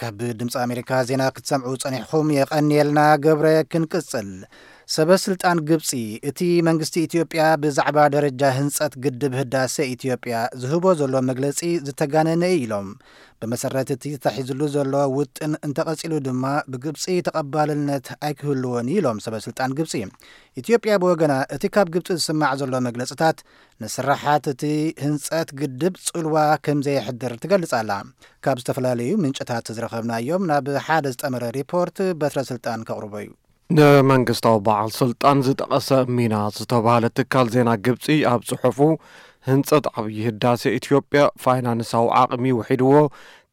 ካብ ድምፂ ኣሜሪካ ዜና ክትሰምዑ ጸኒሕኹም የቐንየልና። ገብረ ክንቅጽል። ሰበ ስልጣን ግብፂ፣ እቲ መንግስቲ ኢትዮጵያ ብዛዕባ ደረጃ ህንጸት ግድብ ህዳሴ ኢትዮጵያ ዝህቦ ዘሎ መግለጺ ዝተጋነነ እዩ ኢሎም። ብመሰረት እቲ ተታሒዝሉ ዘሎ ውጥን እንተቐጺሉ ድማ ብግብፂ ተቐባልነት ኣይክህልዎን እዩ ኢሎም ሰበ ስልጣን ግብፂ። ኢትዮጵያ ብወገና እቲ ካብ ግብፂ ዝስማዕ ዘሎ መግለፅታት ንስራሓት እቲ ህንፀት ግድብ ፅልዋ ከም ዘየሕድር ትገልጽ ኣላ። ካብ ዝተፈላለዩ ምንጭታት ዝረኸብናዮም ናብ ሓደ ዝጠመረ ሪፖርት በትረ ስልጣን ከቕርቦ እዩ። ንመንግስታዊ በዓል ስልጣን ዝጠቐሰ ሚና ዝተባህለ ትካል ዜና ግብፂ ኣብ ጽሑፉ፣ ህንጸት ዓብዪ ህዳሴ ኢትዮጵያ ፋይናንሳዊ ዓቕሚ ውሒድዎ፣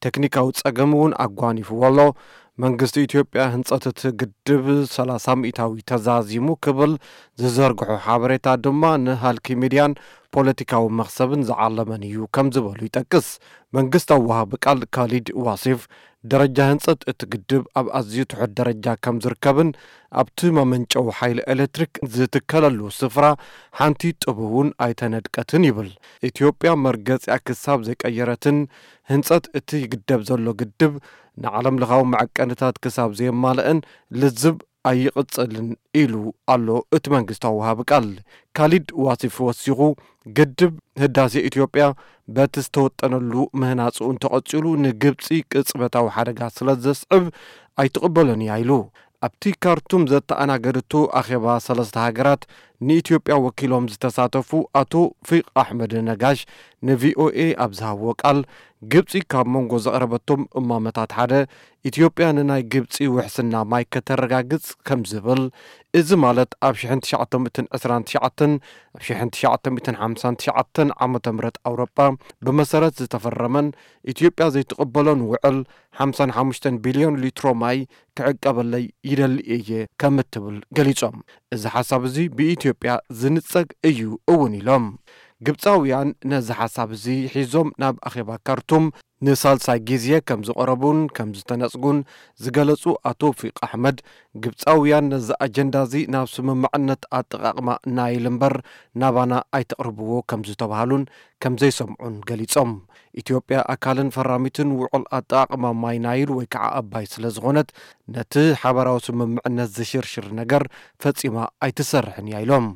ቴክኒካዊ ጸገም እውን ኣጓኒፍዎ ኣሎ። መንግስቲ ኢትዮጵያ ህንጸት እቲ ግድብ ሰላሳ ሚእታዊ ተዛዚሙ ክብል ዝዘርግሖ ሓበሬታ ድማ ንሃልኪ ሚድያን ፖለቲካዊ መኽሰብን ዝዓለመን እዩ ከም ዝበሉ ይጠቅስ። መንግስታዊ ወሃቢ ቃል ካሊድ ዋሲፍ፣ ደረጃ ህንጸት እቲ ግድብ ኣብ ኣዝዩ ትሑት ደረጃ ከም ዝርከብን ኣብቲ መመንጨዊ ሓይሊ ኤሌክትሪክ ዝትከለሉ ስፍራ ሓንቲ ጡብ እውን ኣይተነድቀትን ይብል። ኢትዮጵያ መርገጺኣ ክሳብ ዘይቀየረትን ህንጸት እቲ ይግደብ ዘሎ ግድብ ንዓለም ለኻዊ መዐቀንታት ክሳብ ዘየማልአን ልዝብ ኣይቕጽልን ኢሉ ኣሎ እቲ መንግስታዊ ወሃቢ ቃል። ካሊድ ዋሲፍ ወሲኹ፣ ግድብ ህዳሴ ኢትዮጵያ በቲ ዝተወጠነሉ ምህናጹ እንተቐጺሉ ንግብጺ ቅጽበታዊ ሓደጋ ስለ ዘስዕብ ኣይትቕበሎን እያ ኢሉ። ኣብቲ ካርቱም ዘተኣናገደቶ ኣኼባ ሰለስተ ሃገራት ንኢትዮጵያ ወኪሎም ዝተሳተፉ ኣቶ ፊቅ ኣሕመድ ነጋሽ ንቪኦኤ ኣብ ዝሃብዎ ቃል፣ ግብጺ ካብ መንጎ ዘቕረበቶም እማመታት ሓደ ኢትዮጵያ ንናይ ግብጺ ውሕስና ማይ ከተረጋግጽ ከም ዝብል፣ እዚ ማለት ኣብ ሽሕን ትሽዓተ ሚእትን ዕስራን ትሽዓተን ኣብ ሽሕን ትሽዓተ ሚእትን ሓምሳን ትሽዓተን ዓመተ ምህረት ኣውሮጳ ብመሰረት ዝተፈረመን ኢትዮጵያ ዘይትቕበሎን ውዕል ሓምሳን ሓሙሽተን ቢልዮን ሊትሮ ማይ ክዕቀበለይ ይደሊ እየ ከም እትብል ገሊጾም። እዚ ሓሳብ እዚ ብኢትዮጵያ ዝንጸግ እዩ እውን ኢሎም። ግብጻውያን ነዚ ሓሳብ እዚ ሒዞም ናብ ኣኼባ ካርቱም ንሳልሳይ ግዜ ከም ዝቐረቡን ከም ዝተነጽጉን ዝገለጹ ኣቶ ፊቅ ኣሕመድ፣ ግብጻውያን ነዚ ኣጀንዳ እዚ ናብ ስምምዕነት ኣጠቓቕማ ናይል እምበር ናባና ኣይተቕርብዎ ከም ዝተባህሉን ከም ዘይሰምዑን ገሊጾም። ኢትዮጵያ ኣካልን ፈራሚትን ውዕል ኣጠቓቕማ ማይ ናይል ወይ ከዓ ኣባይ ስለ ዝኾነት፣ ነቲ ሓበራዊ ስምምዕነት ዝሽርሽር ነገር ፈጺማ ኣይትሰርሕን እያ ኢሎም።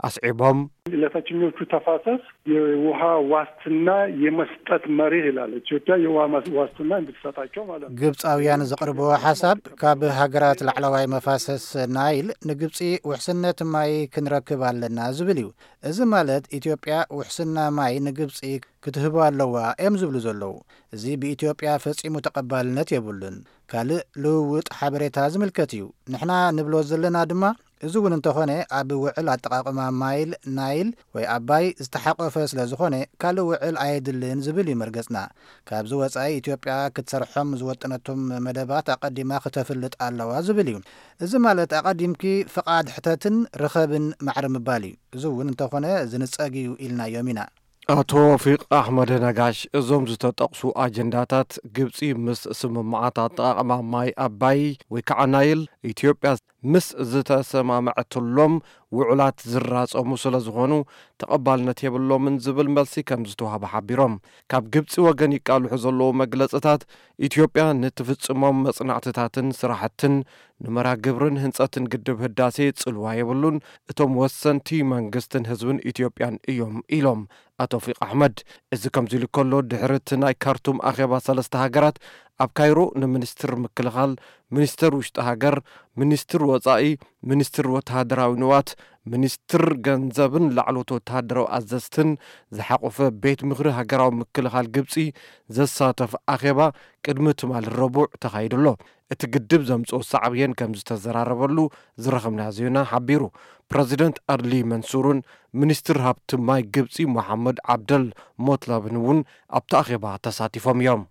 ኣስዒቦም፣ ለታችኞቹ ተፋሰስ የውሃ ዋስትና የመስጠት መርህ ይላል። ኢትዮጵያ የውሃ ማስ-፣ ዋስትና እንድትሰጣቸው ማለት ነው። ግብጻውያን ዘቕርብዎ ሓሳብ፣ ካብ ሃገራት ላዕለዋይ መፋሰስ ናይል ንግብጺ ውሕስነት ማይ ክንረክብ ኣለና ዝብል እዩ። እዚ ማለት ኢትዮጵያ ውሕስና ማይ ንግብጺ ክትህቦ ኣለዋ እዮም ዝብሉ ዘለዉ። እዚ ብኢትዮጵያ ፈጺሙ ተቐባልነት የብሉን። ካልእ ልውውጥ ሓበሬታ ዝምልከት እዩ። ንሕና ንብሎ ዘለና ድማ፣ እዚ እውን እንተኾነ ኣብ ውዕል ኣጠቓቕማ ማይል ናይል ወይ ኣባይ ዝተሓቆፈ ስለ ዝኾነ ካልእ ውዕል ኣየድልን ዝብል እዩ መርገጽና። ካብዚ ወጻኢ ኢትዮጵያ ክትሰርሖም ዝወጠነቶም መደባት ኣቐዲማ ክተፍልጥ ኣለዋ ዝብል እዩ። እዚ ማለት ኣቐዲምኪ ፍቓድ ሕተትን ርኸብን ማዕረ ምባል እዩ። እዚ እውን እንተኾነ ዝንጸግ እዩ ኢልናዮም ኢና። ኣቶ ፊቅ ኣሕመድ ነጋሽ፣ እዞም ዝተጠቕሱ ኣጀንዳታት ግብጺ ምስ ስምምዓት ኣጠቓቕማ ማይ ኣባይ ወይ ከዓ ናይል ኢትዮጵያ ምስ ዝተሰማምዐትሎም ውዕላት ዝራጸሙ ስለ ዝኾኑ ተቐባልነት የብሎምን ዝብል መልሲ ከም ዝተዋህበ ሓቢሮም። ካብ ግብጺ ወገን ይቃልሑ ዘለዉ መግለጽታት ኢትዮጵያ ንትፍጽሞም መጽናዕትታትን ስራሕትን ንመርሃ ግብርን ህንጸትን ግድብ ህዳሴ ጽልዋ የብሉን፣ እቶም ወሰንቲ መንግስትን ህዝብን ኢትዮጵያን እዮም ኢሎም ኣቶ ፊቅ ኣሕመድ። እዚ ከምዚ ኢሉ ከሎ፣ ድሕሪ እቲ ናይ ካርቱም ኣኼባ ሰለስተ ሃገራት ኣብ ካይሮ ንሚኒስትር ምክልኻል፣ ሚኒስትር ውሽጢ ሃገር፣ ሚኒስትር ወጻኢ፣ ሚኒስትር ወተሃደራዊ ንዋት፣ ሚኒስትር ገንዘብን ላዕለዎት ወተሃደራዊ ኣዘዝትን ዝሓቖፈ ቤት ምኽሪ ሃገራዊ ምክልኻል ግብጺ ዘሳተፍ ኣኼባ ቅድሚ ትማሊ ረቡዕ ተኻይዱ ኣሎ። እቲ ግድብ ዘምጽኦ ሳዕብየን ከም ዝተዘራረበሉ ዝረኸብናዮ ዜና ሓቢሩ። ፕረዚደንት ኣድሊ መንሱርን ሚኒስትር ሃብቲ ማይ ግብጺ መሓመድ ዓብደል ሞትለብን እውን ኣብቲ ኣኼባ ተሳቲፎም እዮም።